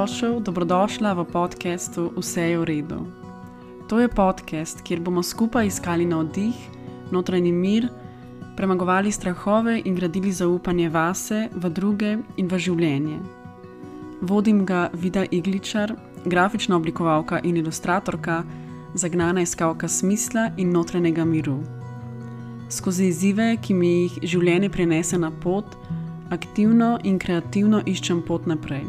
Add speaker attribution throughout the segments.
Speaker 1: Dobrodošla v podcastu Vse je v redu. To je podcast, kjer bomo skupaj iskali navdih, notranji mir, premagovali strahove in gradili zaupanje vase, v druge in v življenje. Vodim ga Vida Igličar, grafična oblikovalka in ilustratorka, zagnana iskalka smisla in notranjega miru. Skozi izzive, ki mi jih življenje prinese na pot, aktivno in kreativno iščem pot naprej.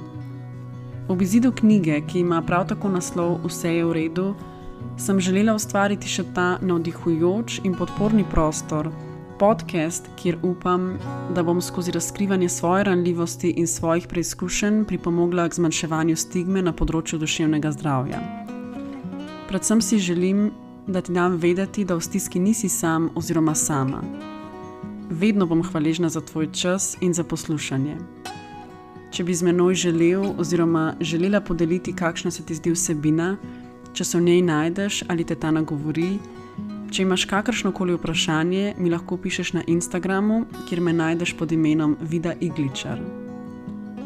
Speaker 1: Ob izidu knjige, ki ima prav tako naslov Vse je v redu, sem želela ustvariti še ta navdihujoč in podporni prostor, podcast, kjer upam, da bom skozi razkrivanje svoje ranljivosti in svojih preizkušenj pripomogla k zmanjševanju stigme na področju duševnega zdravja. Predvsem si želim, da ti dam vedeti, da v stiski nisi sam oziroma sama. Vedno bom hvaležna za tvoj čas in za poslušanje. Če bi z menoj želel oziroma želela podeliti, kakšna se ti zdi vsebina, če se v njej najdeš ali te ta nagovori, če imaš kakršnokoli vprašanje, mi lahko pišeš na Instagramu, kjer me najdeš pod imenom Vida Igličar.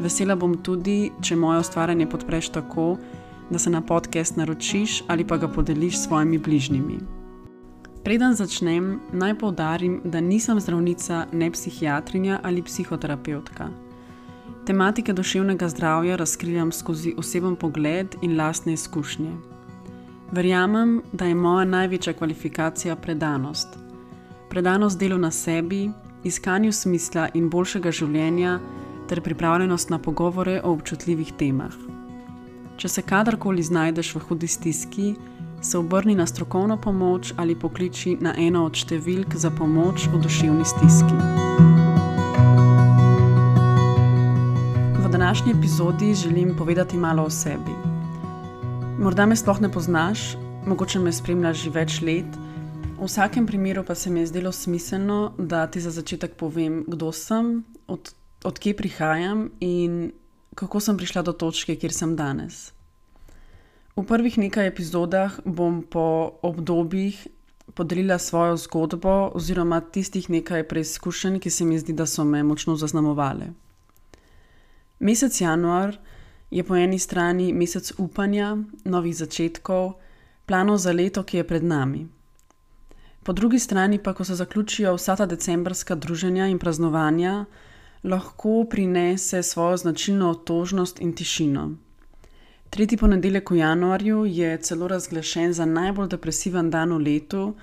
Speaker 1: Vesela bom tudi, če moje ustvarjanje podpreš tako, da se na podcast naročiš ali pa ga podeliš s svojimi bližnjimi. Preden začnem, naj poudarim, da nisem zdravnica, ne psihiatrinja ali psihoterapevtka. Tematike duševnega zdravja razkrivam skozi oseben pogled in lastne izkušnje. Verjamem, da je moja največja kvalifikacija predanost. Predanost delu na sebi, iskanju smisla in boljšega življenja ter pripravljenost na pogovore o občutljivih temah. Če se kadarkoli znajdeš v hudi stiski, se obrni na strokovno pomoč ali pokliči na eno od številk za pomoč v duševni stiski. V današnji epizodi želim povedati malo o sebi. Morda me sploh ne poznaš, mogoče me spremljaš že več let, v vsakem primeru pa se mi je zdelo smiselno, da ti za začetek povem, kdo sem, od kje prihajam in kako sem prišla do točke, kjer sem danes. V prvih nekaj epizodah bom po obdobjih podelila svojo zgodbo oziroma tistih nekaj preizkušenj, ki se mi zdi, da so me močno zaznamovale. Mesec januar je po eni strani mesec upanja, novih začetkov, planov za leto, ki je pred nami. Po drugi strani pa, ko se zaključijo vsa ta decembrska druženja in praznovanja, lahko prinese svojo značilno otožnost in tišino. Tretji ponedeljek v januarju je celo razglašen za najbolj depresiven dan v letu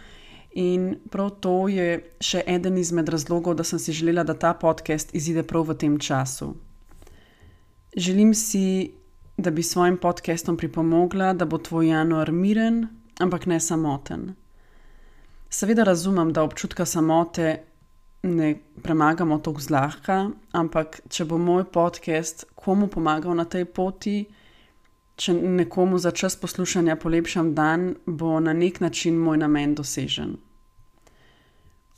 Speaker 1: in prav to je še eden izmed razlogov, da sem si želela, da ta podcast izide prav v tem času. Želim si, da bi svojim podcastom pripomogla, da bo tvoj januar miren, ampak ne samoten. Seveda razumem, da občutka samote ne premagamo tako zlahka, ampak če bo moj podcast komu pomagal na tej poti, če nekomu za čas poslušanja polepšam dan, bo na nek način moj namen dosežen.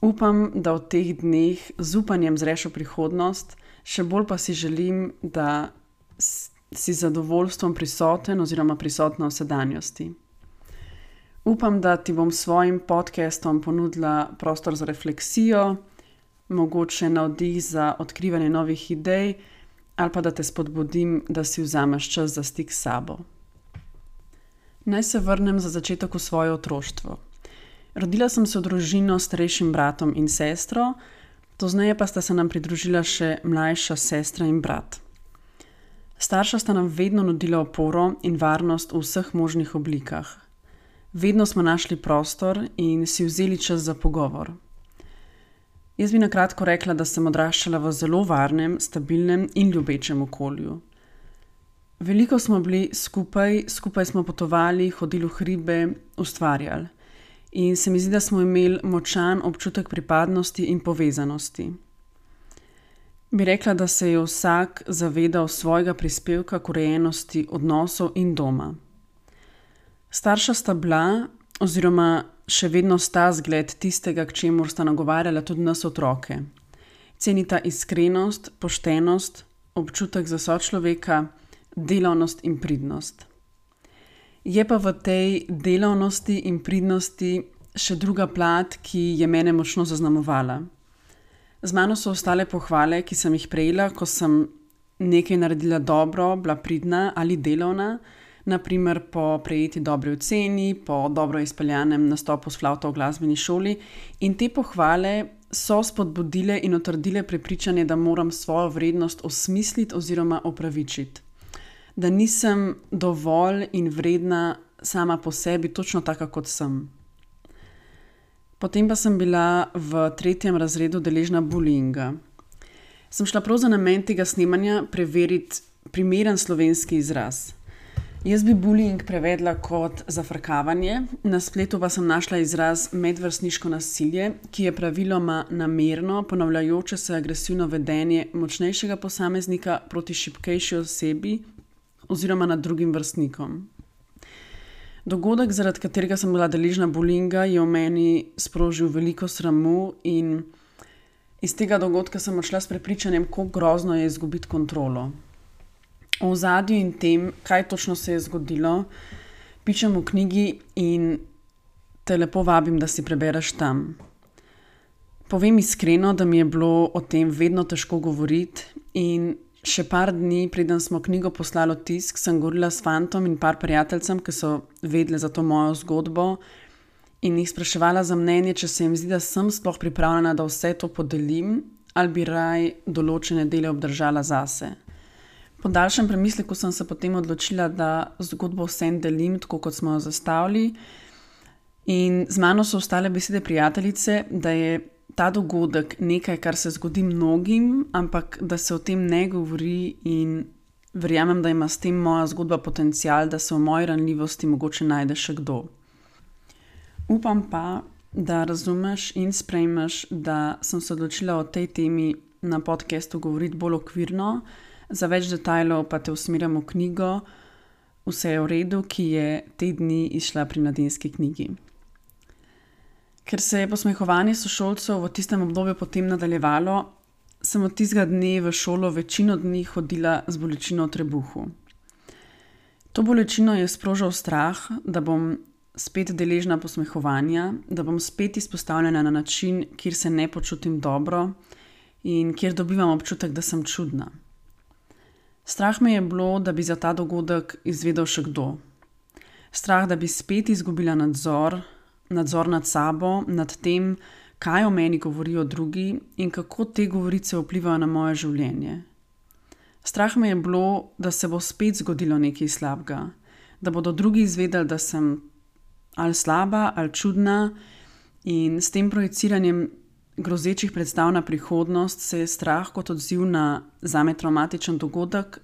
Speaker 1: Upam, da v teh dneh z upanjem zreš v prihodnost, še bolj pa si želim, da si zadovoljstvom prisoten oziroma prisotna v sedanjosti. Upam, da ti bom s svojim podcastom ponudila prostor za refleksijo, mogoče navdih za odkrivanje novih idej ali pa da te spodbudim, da si vzameš čas za stik s sabo. Naj se vrnem za začetek v svoje otroštvo. Rodila sem se v družino s starejšim bratom in sestro, pozneje pa sta se nam pridružila še mlajša sestra in brat. Starša sta nam vedno nudila oporo in varnost v vseh možnih oblikah. Vedno smo našli prostor in si vzeli čas za pogovor. Jaz bi na kratko rekla, da sem odraščala v zelo varnem, stabilnem in ljubečem okolju. Veliko smo bili skupaj smo potovali, hodili v hribe, ustvarjali. In se mi zdi, da smo imeli močan občutek pripadnosti in povezanosti. Bi rekla, da se je vsak zavedal svojega prispevka k urejenosti odnosov in doma. Starša sta bila, oziroma še vedno sta zgled tistega, k čemur sta nagovarjala tudi nas otroke. Cenita iskrenost, poštenost, občutek za sočloveka, delavnost in pridnost. Je pa v tej delavnosti in pridnosti še druga plat, ki je mene močno zaznamovala. Z mano so ostale pohvale, ki sem jih prejela, ko sem nekaj naredila dobro, bila pridna ali delovna, naprimer po prejeti dobri oceni, po dobro izpeljanem nastopu s flavto v glasbeni šoli, in te pohvale so spodbudile in utrdile prepričanje, da moram svojo vrednost osmisliti oziroma opravičiti. Da nisem dovolj in vredna sama po sebi, točno taka, kot sem. Potem pa sem bila v 3. razredu deležna bullyinga. Sem šla prav za namen tega snemanja preveriti primeren slovenski izraz. Jaz bi bullying prevedla kot zafrkavanje, na spletu pa sem našla izraz medvrstniško nasilje, ki je praviloma namerno ponavljajoče se agresivno vedenje močnejšega posameznika proti šibkejši osebi oziroma nad drugim vrstnikom. Dogodek, zaradi katerega sem bila deležna bullyinga, je v meni sprožil veliko sramu in iz tega dogodka sem odšla s prepričanjem, kako grozno je izgubiti kontrolo. O ozadju in tem, kaj točno se je zgodilo, pišem v knjigi in te lepo vabim, da si prebereš tam. Povem iskreno, da mi je bilo o tem vedno težko govoriti in še par dni, preden smo knjigo poslali v tisk, sem govorila s fantom in par prijateljcem, ki so vedeli za to mojo zgodbo in jih spraševala za mnenje, če se jim zdi, da sem sploh pripravljena, da vse to podelim ali bi raj določene dele obdržala zase. Po daljšem premisleku sem se potem odločila, da zgodbo vsem delim, tako kot smo jo zastavili, in z mano so ostale besede prijateljice, da je ta dogodek nekaj, kar se zgodi mnogim, ampak da se o tem ne govori, in verjamem, da ima s tem moja zgodba potencial, da se v moji ranljivosti mogoče najde še kdo. Upam pa, da razumeš in sprejmeš, da sem se odločila o tej temi na podcastu govoriti bolj okvirno, za več detajlov pa te usmerjam v knjigo Vse je v redu, ki je te dni izšla pri Mladinski knjigi. Ker se je posmehovanje sošolcev v tistem obdobju potem nadaljevalo, sem od tistega dne v šolo večino dni hodila z bolečino v trebuhu. To bolečino je sprožil strah, da bom spet deležna posmehovanja, da bom spet izpostavljena na način, kjer se ne počutim dobro in kjer dobivam občutek, da sem čudna. Strah me je bilo, da bi za ta dogodek izvedel še kdo. Strah, da bi spet izgubila nadzor nad sabo, nad tem, kaj o meni govorijo drugi in kako te govorice vplivajo na moje življenje. Strah me je bilo, da se bo spet zgodilo nekaj slabega, da bodo drugi izvedeli, da sem ali slaba ali čudna, in s tem projiciranjem grozečih predstav na prihodnost se je strah kot odziv na zame travmatičen dogodek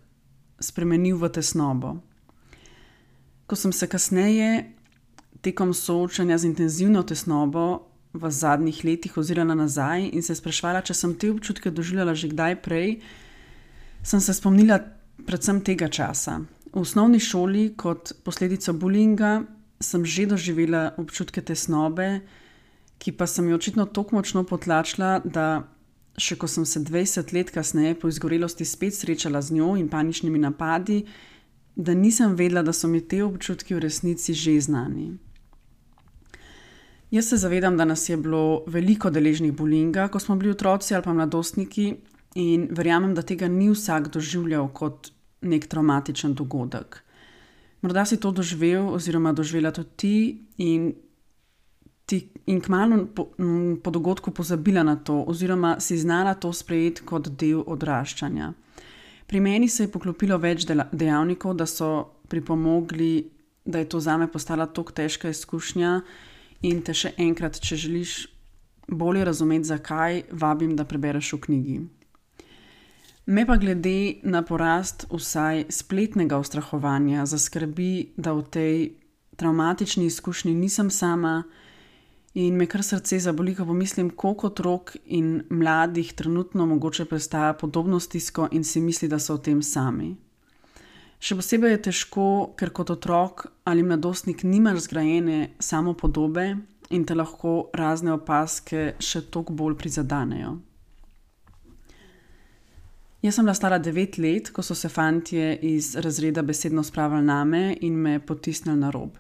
Speaker 1: spremenil v tesnobo. Ko sem se kasneje tekom soočanja z intenzivno tesnobo v zadnjih letih ozirala nazaj in se spraševala, če sem te občutke doživljala že kdaj prej, sem se spomnila predvsem tega časa. V osnovni šoli kot posledico bullyinga sem že doživela občutke tesnobe, ki pa sem jo očitno tako močno potlačila, da še ko sem se 20 let kasneje po izgorelosti spet srečala z njo in paničnimi napadi, da nisem vedela, da so mi te občutki v resnici že znani. Jaz se zavedam, da nas je bilo veliko deležnih bullyinga, ko smo bili otroci ali pa mladostniki, in verjamem, da tega ni vsak doživljal kot nek travmatičen dogodek. Morda si to doživel oziroma doživela tudi ti in kmalu po dogodku pozabila na to oziroma si znala to sprejeti kot del odraščanja. Pri meni se je poklopilo več dejavnikov, da so pripomogli, da je to zame postala tako težka izkušnja, in te še enkrat, če želiš bolje razumeti, zakaj, vabim, da prebereš v knjigi. Me pa glede na porast vsaj spletnega ustrahovanja zaskrbi, da v tej travmatični izkušnji nisem sama, in me kar srce zaboli, ko pomislim, koliko otrok in mladih trenutno mogoče prestaja podobno stisko in si misli, da so v tem sami. Še posebej je težko, ker kot otrok ali mladostnik nimaš zgrajene samopodobe in te lahko razne opazke še toliko bolj prizadanejo. Jaz sem bila stara 9 let, ko so se fantje iz razreda besedno spravili name in me potisnili na rob.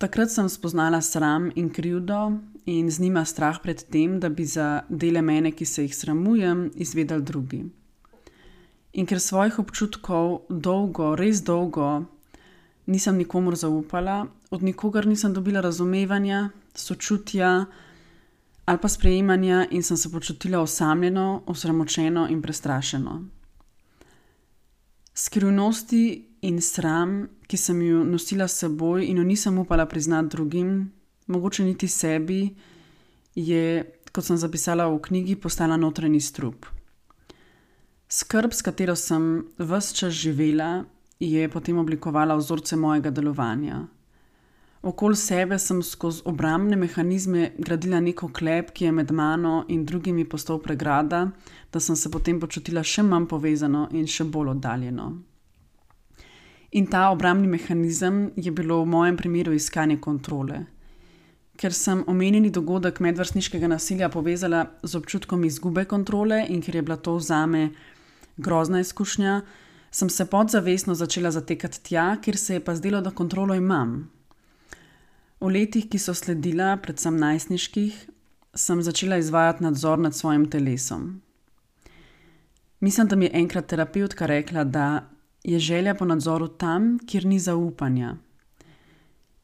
Speaker 1: Takrat sem spoznala sram in krivdo in z njima strah pred tem, da bi za dele mene, ki se jih sramujem, izvedeli drugi. In ker svojih občutkov res dolgo nisem nikomur zaupala, od nikogar nisem dobila razumevanja, sočutja ali pa sprejemanja in sem se počutila osamljeno, osramočeno in prestrašeno. Skrivnosti in sram, ki sem jo nosila s seboj in jo nisem upala priznati drugim, mogoče niti sebi, je, kot sem zapisala v knjigi, postala notranji strup. Skrb, s katero sem ves čas živela, je potem oblikovala vzorce mojega delovanja. Okoli sebe sem skozi obrambne mehanizme gradila nek oklep, ki je med mano in drugimi postal pregrada, da sem se potem počutila še manj povezano in še bolj oddaljeno. In ta obrambni mehanizem je bilo v mojem primeru iskanje kontrole. Ker sem omenjeni dogodek medvrstniškega nasilja povezala z občutkom izgube kontrole in ker je bila to zame grozna izkušnja, sem se podzavestno začela zatekati tja, kjer se je pa zdelo, da kontrolo imam. V letih, ki so sledila, predvsem najstniških, sem začela izvajati nadzor nad svojim telesom. Mislim, da mi je enkrat terapevtka rekla, da je želja po nadzoru tam, kjer ni zaupanja.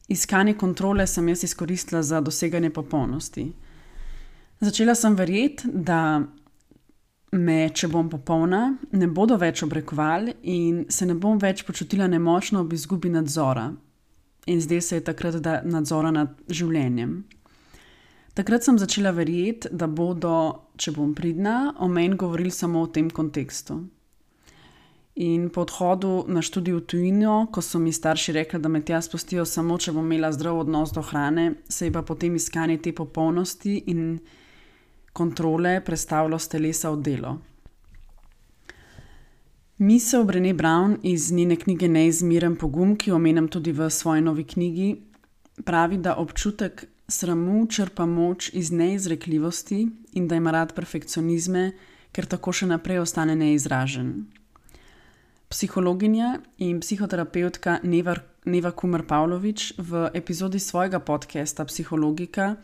Speaker 1: Iskanje kontrole sem jaz izkoristila za doseganje popolnosti. Začela sem verjeti, da me, če bom popolna, ne bodo več obrekovali in se ne bom več počutila nemočno ob izgubi nadzora. In zdaj se je takrat nadzora nad življenjem. Takrat sem začela verjeti, da bodo, če bom pridna, o meni govorili samo v tem kontekstu. In po odhodu na študij v tujino, ko so mi starši rekli, da me tja spustijo samo, če bom imela zdrav odnos do hrane, se je pa potem iskanje te popolnosti in kontrole prestavilo s telesa v delo. Misel Brené Brown iz njene knjige Neizmeren pogum, ki jo omenjam tudi v svoji novi knjigi, pravi, da občutek sramu črpa moč iz neizrekljivosti in da ima rad perfekcionizme, ker tako še naprej ostane neizražen. Psihologinja in psihoterapeutka Neva Kumer Pavlović v epizodi svojega podcasta Psihologika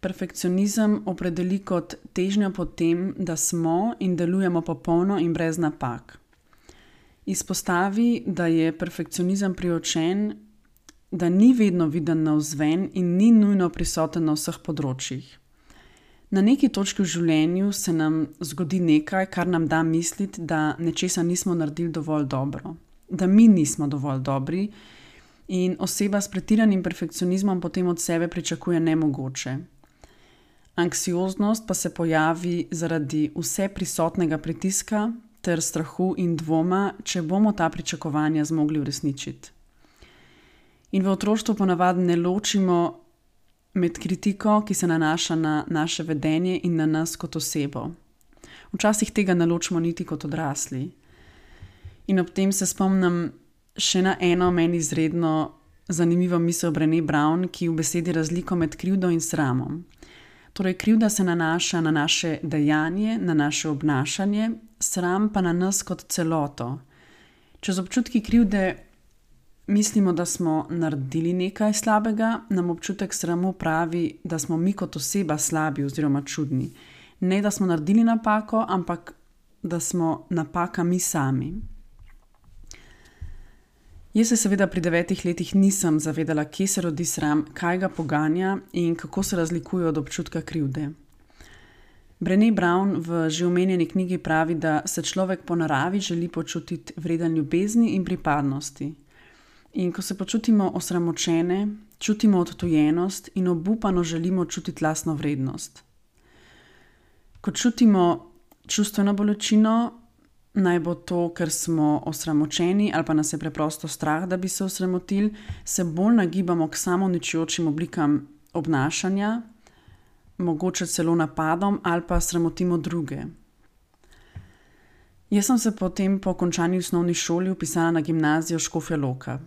Speaker 1: perfekcionizem opredeli kot težnjo po tem, da smo in delujemo popolno in brez napak. Izpostavi, da je perfekcionizem priočen, da ni vedno viden navzven in ni nujno prisoten na vseh področjih. Na neki točki v življenju se nam zgodi nekaj, kar nam da misliti, da nečesa nismo naredili dovolj dobro, da mi nismo dovolj dobri in oseba s pretiranim perfekcionizmom potem od sebe pričakuje nemogoče. Anksioznost pa se pojavi zaradi vse prisotnega pritiska ter strahu in dvoma, če bomo ta pričakovanja zmogli uresničiti. In v otroštvu ponavadi ne ločimo med kritiko, ki se nanaša na naše vedenje in na nas kot osebo. Včasih tega ne ločimo niti kot odrasli. In ob tem se spomnim še na eno meni izredno zanimivo misel Brené Brown, ki v besedi razliko med krivdo in sramom. Torej, krivda se nanaša na naše dejanje, na naše obnašanje, sram pa na nas kot celoto. Če z občutki krivde mislimo, da smo naredili nekaj slabega, nam občutek sramu pravi, da smo mi kot oseba slabi oziroma čudni. Ne, da smo naredili napako, ampak da smo napaka mi sami. Jaz se seveda pri 9 letih nisem zavedala, kje se rodi sram, kaj ga poganja in kako se razlikuje od občutka krivde. Brené Brown v že omenjeni knjigi pravi, da se človek po naravi želi počutiti vreden ljubezni in pripadnosti. In ko se počutimo osramočene, čutimo odtujenost in obupano želimo čutiti lastno vrednost. Ko čutimo čustveno bolečino, naj bo to, ker smo osramočeni ali pa nas je preprosto strah, da bi se osramotili, se bolj nagibamo k samouničujočim oblikam obnašanja, mogoče celo napadom ali pa sramotimo druge. Jaz sem se potem po končani osnovni šoli vpisala na gimnazijo Škofja Loka.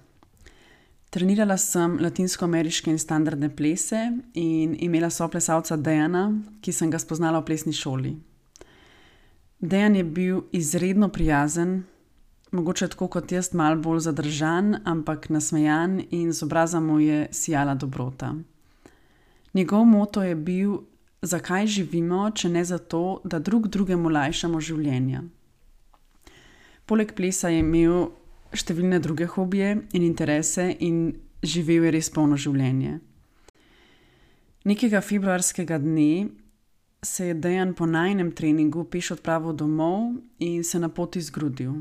Speaker 1: Trenirala sem latinskoameriške in standardne plese in imela soplesalca Dejana, ki sem ga spoznala v plesni šoli. Dejan je bil izredno prijazen, mogoče tako kot jaz malo bolj zadržan, ampak nasmejan in z obraza mu je sijala dobrota. Njegov moto je bil, zakaj živimo, če ne zato, da drug drugemu lajšamo življenja. Poleg plesa je imel številne druge hobije in interese in živel je res polno življenje. Nekega februarskega dne se je Dejan po najinem treningu peš odpravil domov in se na poti zgrudil.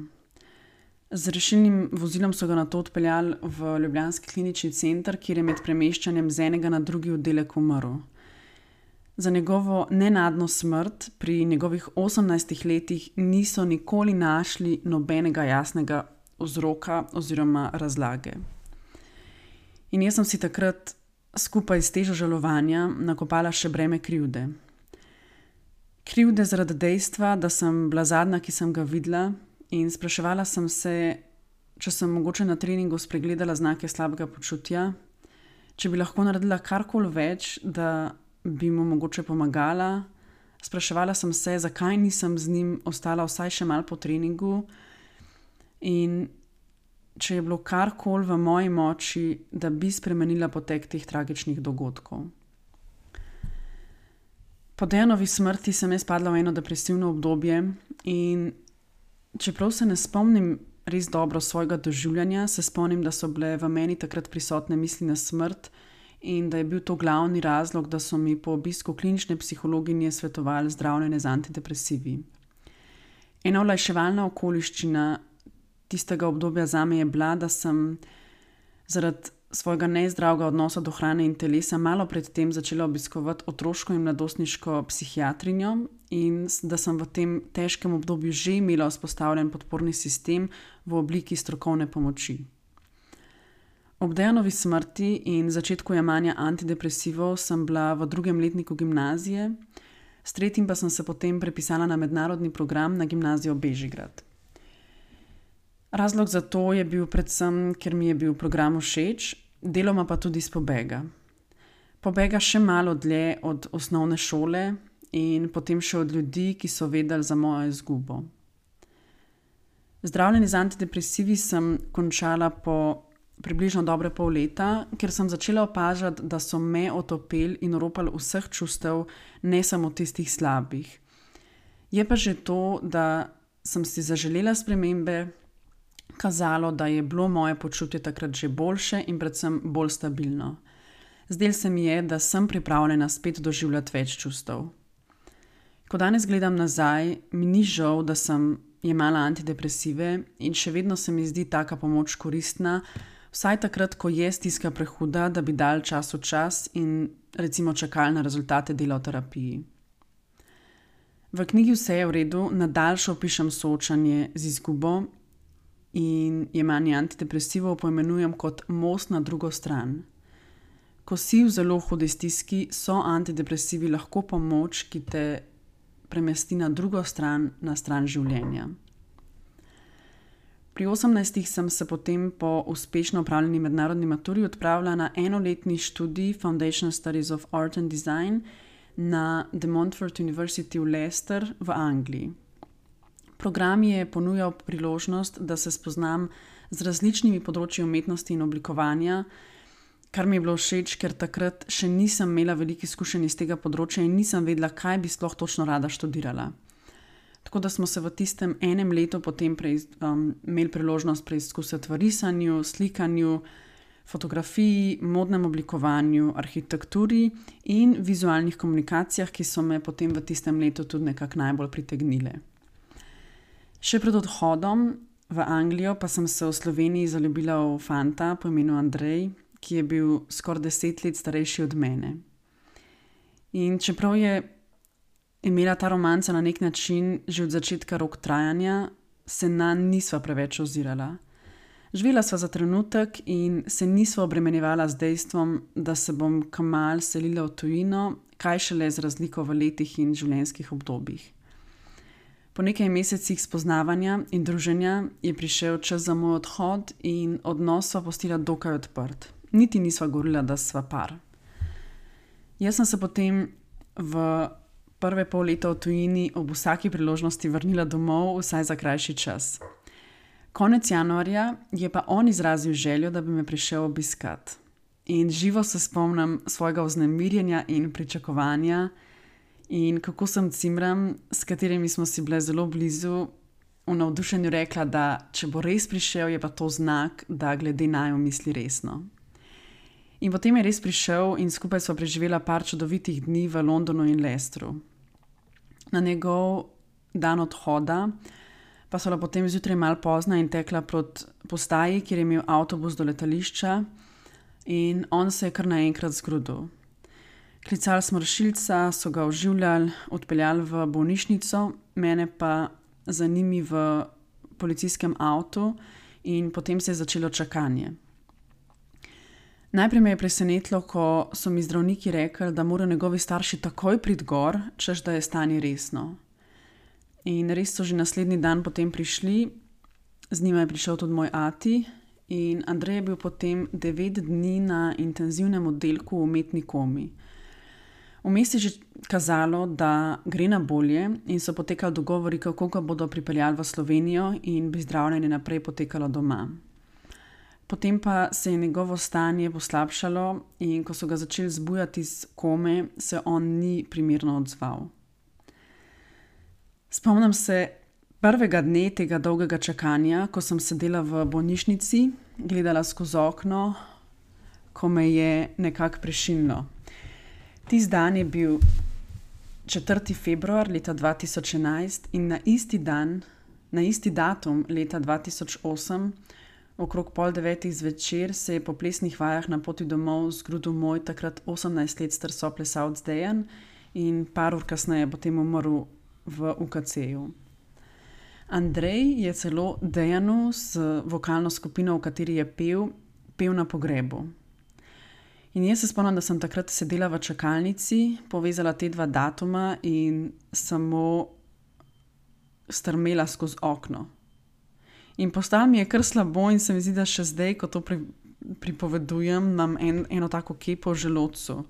Speaker 1: Z rešilnim vozilom so ga nato odpeljali v ljubljanski klinični center, kjer je med premeščanjem z enega na drugi oddelek umrl. Za njegovo nenadno smrt pri njegovih 18 letih niso nikoli našli nobenega jasnega vzroka oziroma razlage. In jaz sem si takrat skupaj s težo žalovanja nakopala še breme krivde. Krivde zaradi dejstva, da sem bila zadnja, ki sem ga videla, in spraševala sem se, če sem mogoče na treningu spregledala znake slabega počutja, če bi lahko naredila karkoli več, da bi mu mogoče pomagala. Spraševala sem se, zakaj nisem z njim ostala vsaj še malo po treningu in če je bilo karkoli v moji moči, da bi spremenila potek teh tragičnih dogodkov. Po Dejanovi smrti sem jaz padla v eno depresivno obdobje in čeprav se ne spomnim res dobro svojega doživljanja, se spomnim, da so bile v meni takrat prisotne misli na smrt in da je bil to glavni razlog, da so mi po obisku klinične psihologinje svetovali zdravljenje z antidepresivi. Ena olajševalna okoliščina tistega obdobja zame je bila, da sem zaradi svojega nezdravega odnosa do hrane in telesa malo pred tem začela obiskovati otroško in mladostniško psihiatrinjo in da sem v tem težkem obdobju že imela vzpostavljen podporni sistem v obliki strokovne pomoči. Ob Dejanovi smrti in začetku jemanja antidepresivov sem bila v 2. letniku gimnazije, s 3. pa sem se potem prepisala na mednarodni program na gimnazijo Bežigrad. Razlog za to je bil predvsem, ker mi je bil program všeč, deloma pa tudi iz pobega. Pobega še malo dlje od osnovne šole in potem še od ljudi, ki so vedeli za mojo izgubo. Zdravljenje z antidepresivi sem končala po približno dobre pol leta, ker sem začela opažati, da so me otopeli in oropali vseh čustev, ne samo tistih slabih. Je pa že to, da sem si zaželela spremembe, kazalo, da je bilo moje počutje takrat že boljše in predvsem bolj stabilno. Zdelo se mi je, da sem pripravljena spet doživljati več čustev. Ko danes gledam nazaj, mi ni žal, da sem jemala antidepresive in še vedno se mi zdi taka pomoč koristna, vsaj takrat, ko je stiska prehuda, da bi dal čas v čas in recimo čakali na rezultate dela v terapiji. V knjigi Vse je v redu nadaljše opišem soočanje z izgubo in jemanje antidepresivov poimenujem kot most na drugo stran. Ko si v zelo hudi stiski, so antidepresivi lahko pomoč, ki te premesti na drugo stran, na stran življenja. Pri 18 sem se potem po uspešno opravljeni mednarodni maturi odpravila na enoletni študij Foundation Studies of Art and Design na De Montfort University v Leicester v Angliji. Program je ponujal priložnost, da se spoznam z različnimi področji umetnosti in oblikovanja, kar mi je bilo všeč, ker takrat še nisem imela veliko izkušenj iz tega področja in nisem vedela, kaj bi sploh točno rada študirala. Tako da smo se v tistem enem letu potem imeli priložnost preizkusiti v risanju, slikanju, fotografiji, modnem oblikovanju, arhitekturi in vizualnih komunikacijah, ki so me potem v tistem letu tudi nekako najbolj pritegnile. Še pred odhodom v Anglijo pa sem se v Sloveniji zaljubila v fanta po imenu Andrej, ki je bil skoraj 10 let starejši od mene. In čeprav je imela ta romanca na nek način že od začetka rok trajanja, se nanj nisva preveč ozirala. Živela sva za trenutek in se nisva obremenjevala z dejstvom, da se bom kmalu selila v tujino, kaj šele z razliko v letih in življenjskih obdobjih. Po nekaj mesecih spoznavanja in druženja je prišel čas za moj odhod in odnos sva pustila dokaj odprt. Niti nisva govorila, da sva par. Jaz sem se potem v prve pol leta v tujini ob vsaki priložnosti vrnila domov, vsaj za krajši čas. Konec januarja je pa on izrazil željo, da bi me prišel obiskat. In živo se spomnim svojega vznemirjenja in pričakovanja in kako sem cimram, s katerimi smo si bile zelo blizu, v navdušenju rekla, da če bo res prišel, je pa to znak, da glede naju misli resno. In potem je res prišel in skupaj sva preživela par čudovitih dni v Londonu in Leicesteru. Na njegov dan odhoda pa sva potem zjutraj malo pozna in tekla proti postaji, kjer je imel avtobus do letališča in on se je kar naenkrat zgrudil. Klicali smo rešilca, so ga oživljali, odpeljali v bolnišnico, mene pa za njimi v policijskem avtu in potem se je začelo čakanje. Najprej me je presenetilo, ko so mi zdravniki rekli, da morajo njegovi starši takoj priti gor, češ da je stanje resno. In res so že naslednji dan potem prišli, z njima je prišel tudi moj ati in Andrej je bil potem 9 dni na intenzivnem oddelku v umetni komi. Vmes je že kazalo, da gre na bolje in so potekali dogovori, kako ga bodo pripeljali v Slovenijo in bi zdravljenje naprej potekalo doma. Potem pa se je njegovo stanje poslabšalo in ko so ga začeli zbujati iz kome, se on ni primerno odzval. Spomnim se prvega dne tega dolgega čakanja, ko sem sedela v bolnišnici, gledala skozi okno, ko me je nekako prešinilo. Tisti dan je bil 4. februar leta 2011 in na isti datum leta 2008, okrog 8:30 zvečer, se je po plesnih vajah na poti domov zgrudil moj takrat 18 let star soplesalec Dejan in par ur kasneje potem umrl v UKC-ju. Andrej je celo Dejanu z vokalno skupino, v kateri je pel na pogrebu. In jaz se spomnim, da sem takrat sedela v čakalnici, povezala te dva datuma in samo strmela skozi okno. In postalo mi je kar slabo in se mi zdi, da še zdaj, ko to pripovedujem, imam eno tako kepo v želodcu.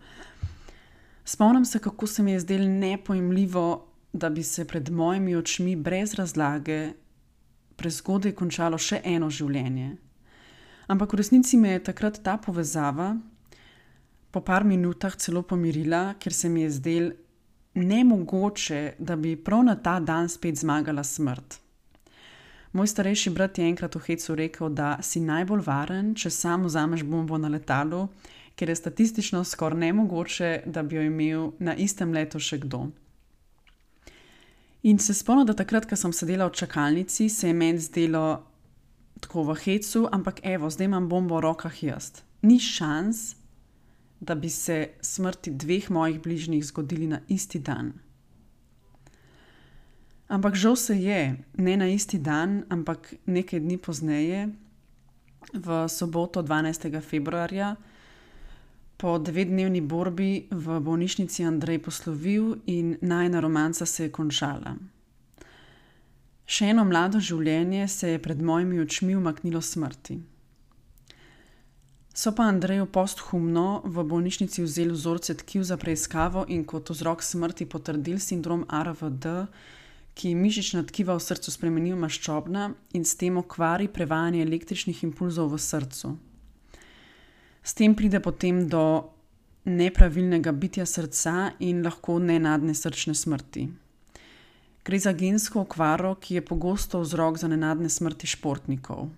Speaker 1: Spomnim se, kako se mi je zdelo nepojmljivo, da bi se pred mojimi očmi brez razlage prezgodaj končalo še eno življenje. Ampak v resnici me je takrat ta povezava po par minutah celo pomirila, ker se mi je zdelo nemogoče, da bi prav na ta dan spet zmagala smrt. Moj starejši brat je enkrat v hecu rekel, da si najbolj varen, če sam vzameš bombo na letalu, ker je statistično skoraj nemogoče, da bi jo imel na istem letu še kdo. In se spomnim, da takrat, ko sem sedela v čakalnici, se je meni zdelo tako v hecu, ampak evo, zdaj imam bombo v rokah jaz. Ni šans, da bi se smrti 2 mojih bližnjih zgodili na isti dan. Ampak žal se je, ne na isti dan, ampak nekaj dni pozneje, v soboto 12. februarja, po 9-dnevni borbi v bolnišnici Andrej poslovil in najina romanca se je končala. Še eno mlado življenje se je pred mojimi očmi umaknilo smrti. So pa Andreju posthumno v bolnišnici vzeli vzorce tkiv za preiskavo in kot vzrok smrti potrdili sindrom ARVD, ki mišična tkiva v srcu spremeni v maščobna in s tem okvari prevajanje električnih impulzov v srcu. S tem pride potem do nepravilnega bitja srca in lahko nenadne srčne smrti. Gre za gensko okvaro, ki je pogosto vzrok za nenadne smrti športnikov.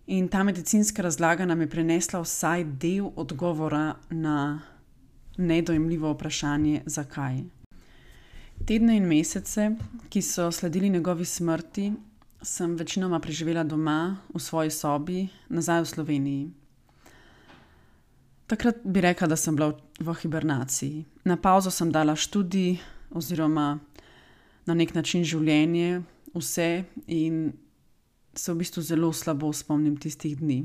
Speaker 1: In ta medicinska razlaga nam je prinesla vsaj del odgovora na nedojemljivo vprašanje, zakaj. Tedne in mesece, ki so sledili njegovi smrti, sem večinoma preživela doma, v svoji sobi, nazaj v Sloveniji. Takrat bi rekla, da sem bila v hibernaciji. Na pauzo sem dala študij oziroma na nek način življenje, vse in se v bistvu zelo slabo spomnim tistih dni.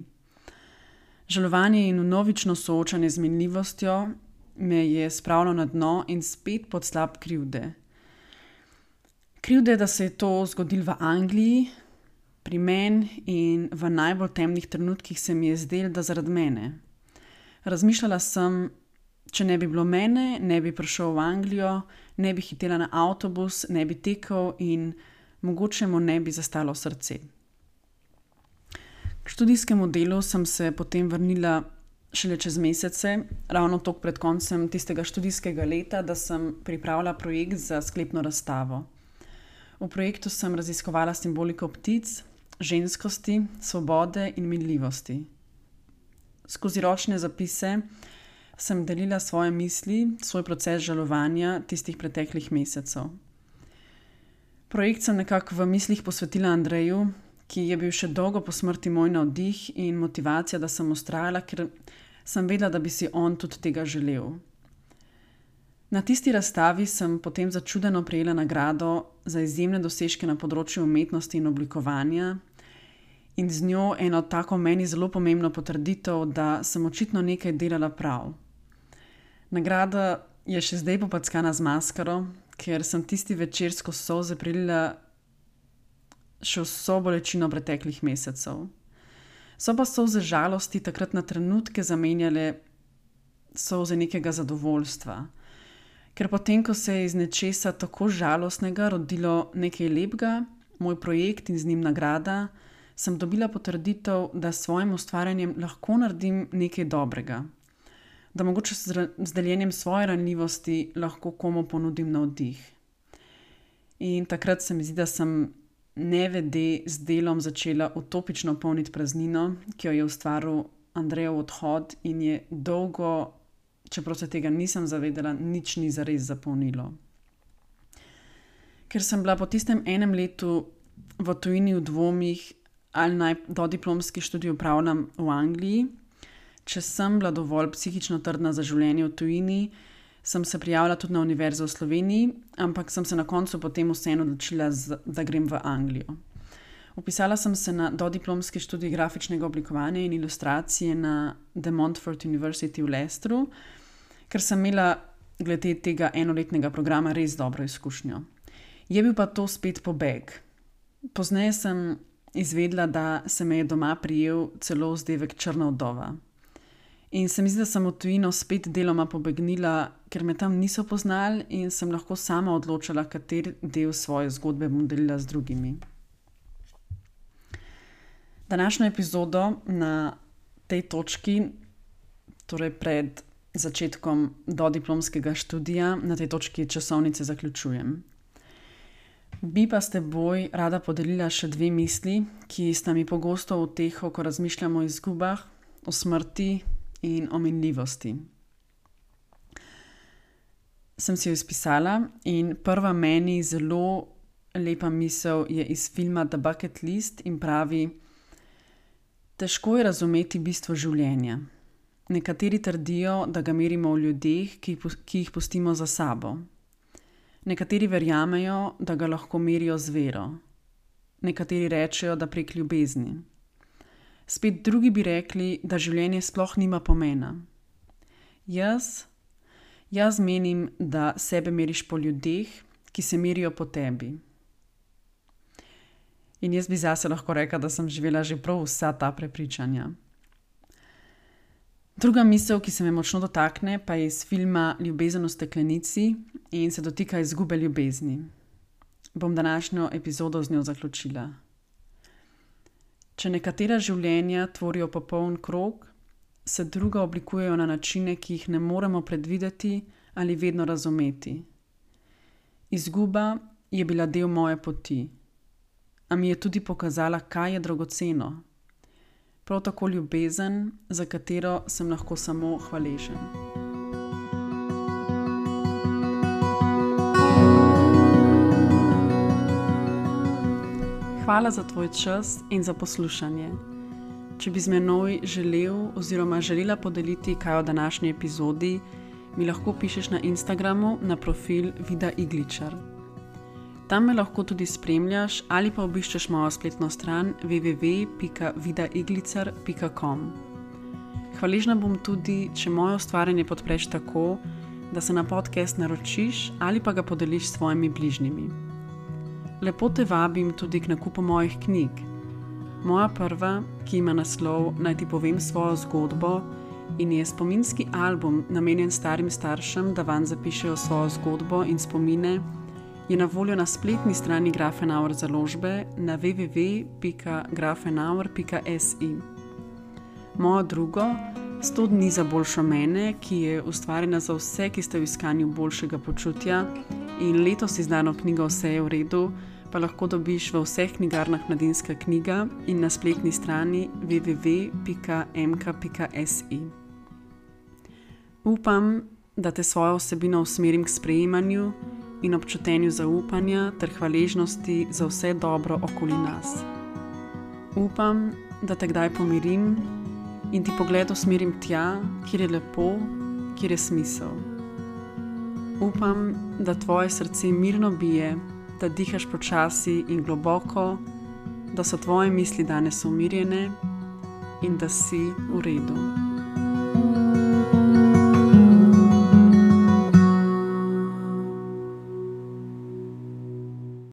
Speaker 1: Žalovanje in vnovično soočanje z minljivostjo me je spravilo na dno in spet pod slab krivde. Krivde, da se je to zgodilo v Angliji, pri meni in v najbolj temnih trenutkih se mi je zdelo, da zaradi mene. Razmišljala sem, če ne bi bilo mene, ne bi prišel v Anglijo, ne bi hitela na avtobus, ne bi tekel in mogoče mu ne bi zastalo srce. K študijskemu delu sem se potem vrnila šele čez mesece, ravno toliko pred koncem tistega študijskega leta, da sem pripravila projekt za sklepno razstavo. V projektu sem raziskovala simboliko ptic, ženskosti, svobode in minljivosti. Skozi ročne zapise sem delila svoje misli, svoj proces žalovanja tistih preteklih mesecev. Projekt sem nekako v mislih posvetila Andreju, ki je bil še dolgo po smrti moj navdih in motivacija, da sem vztrajala, ker sem vedela, da bi si on tudi tega želel. Na tisti razstavi sem potem začudeno prejela nagrado za izjemne dosežke na področju umetnosti in oblikovanja in z njo eno tako meni zelo pomembno potrditev, da sem očitno nekaj delala prav. Nagrada je še zdaj popackana z maskaro, ker sem tisti večer skozi solze prilila še vso bolečino preteklih mesecev. So pa solze žalosti takrat na trenutke zamenjale solze nekega zadovoljstva. Ker potem, ko se je iz nečesa tako žalostnega rodilo nekaj lepega, moj projekt in z njim nagrada, sem dobila potrditev, da s svojim ustvarjanjem lahko naredim nekaj dobrega. Da mogoče z deljenjem svoje ranljivosti lahko komu ponudim navdih. In takrat se mi zdi, da sem nevede z delom začela utopično polniti praznino, ki jo je ustvaril Andrejev odhod in je dolgo, čeprav se tega nisem zavedala, nič ni zares zapolnilo. Ker sem bila po tistem enem letu v tujini v dvomih, ali naj dodiplomski študij opravljam v Angliji, če sem bila dovolj psihično trdna za življenje v tujini, sem se prijavila tudi na univerzo v Sloveniji, ampak sem se na koncu potem vseeno odločila, da grem v Anglijo. Vpisala sem se na dodiplomski študij grafičnega oblikovanja in ilustracije na The Montfort University v Leicesteru, ker sem imela glede tega enoletnega programa res dobro izkušnjo. Je bil pa to spet pobeg. Pozneje sem izvedela, da se me je doma prijel celo vzdevek črna vdova. In se mi zdi, da sem v tujino spet deloma pobegnila, ker me tam niso poznali in sem lahko sama odločala, kateri del svoje zgodbe bom delila z drugimi. Današnjo epizodo na tej točki, torej pred začetkom dodiplomskega študija, na tej točki časovnice zaključujem. Bi pa s teboj rada podelila še dve misli, ki sta mi pogosto v uteho, ko razmišljamo o izgubah, o smrti in o minljivosti. Sem si jo izpisala in prva meni zelo lepa misel je iz filma The Bucket List in pravi: težko je razumeti bistvo življenja. Nekateri trdijo, da ga merimo v ljudeh, ki jih pustimo za sabo. Nekateri verjamejo, da ga lahko merijo z vero. Nekateri rečejo, da prek ljubezni. Spet drugi bi rekli, da življenje sploh nima pomena. Jaz menim, da sebe meriš po ljudeh, ki se merijo po tebi. In jaz bi zase lahko rekla, da sem živela že prav vsa ta prepričanja. Druga misel, ki se me močno dotakne, pa je iz filma Ljubezen v steklenici in se dotika izgube ljubezni. Bom današnjo epizodo z njo zaključila. Če nekatera življenja tvorijo popoln krog, se druga oblikujejo na načine, ki jih ne moremo predvideti ali vedno razumeti. Izguba je bila del moje poti, a mi je tudi pokazala, kaj je dragoceno. Prav tako ljubezen, za katero sem lahko samo hvaležen. Hvala za tvoj čas in za poslušanje. Če bi z menoj želel oziroma želela podeliti kaj o današnji epizodi, mi lahko pišeš na Instagramu na profil Vida Igličar. Tam me lahko tudi spremljaš ali pa obiščeš mojo spletno stran www.vidaiglicar.com. Hvaležna bom tudi, če moje ustvarjanje podpreš tako, da se na podcast naročiš ali pa ga podeliš s svojimi bližnjimi. Lepo te vabim tudi k nakupu mojih knjig. Moja prva, ki ima naslov Naj ti povem svojo zgodbo in je spominski album namenjen starim staršem, da vanj zapišejo svojo zgodbo in spomine, je na voljo na spletni strani Grafenauer založbe na www.grafenauer.si. Mojo drugo, 100 dni za boljšo mene, ki je ustvarjena za vse, ki ste v iskanju boljšega počutja in letos izdano knjigo Vse je v redu, pa lahko dobiš v vseh knjigarnah Mladinska knjiga in na spletni strani www.mk.si. Upam, da te svojo vsebino usmerim k sprejemanju in občutenju zaupanja ter hvaležnosti za vse dobro okoli nas. Upam, da te kdaj pomirim in ti pogled usmerim tja, kjer je lepo, kjer je smisel. Upam, da tvoje srce mirno bije, da dihaš počasi in globoko, da so tvoje misli danes umirjene in da si v redu.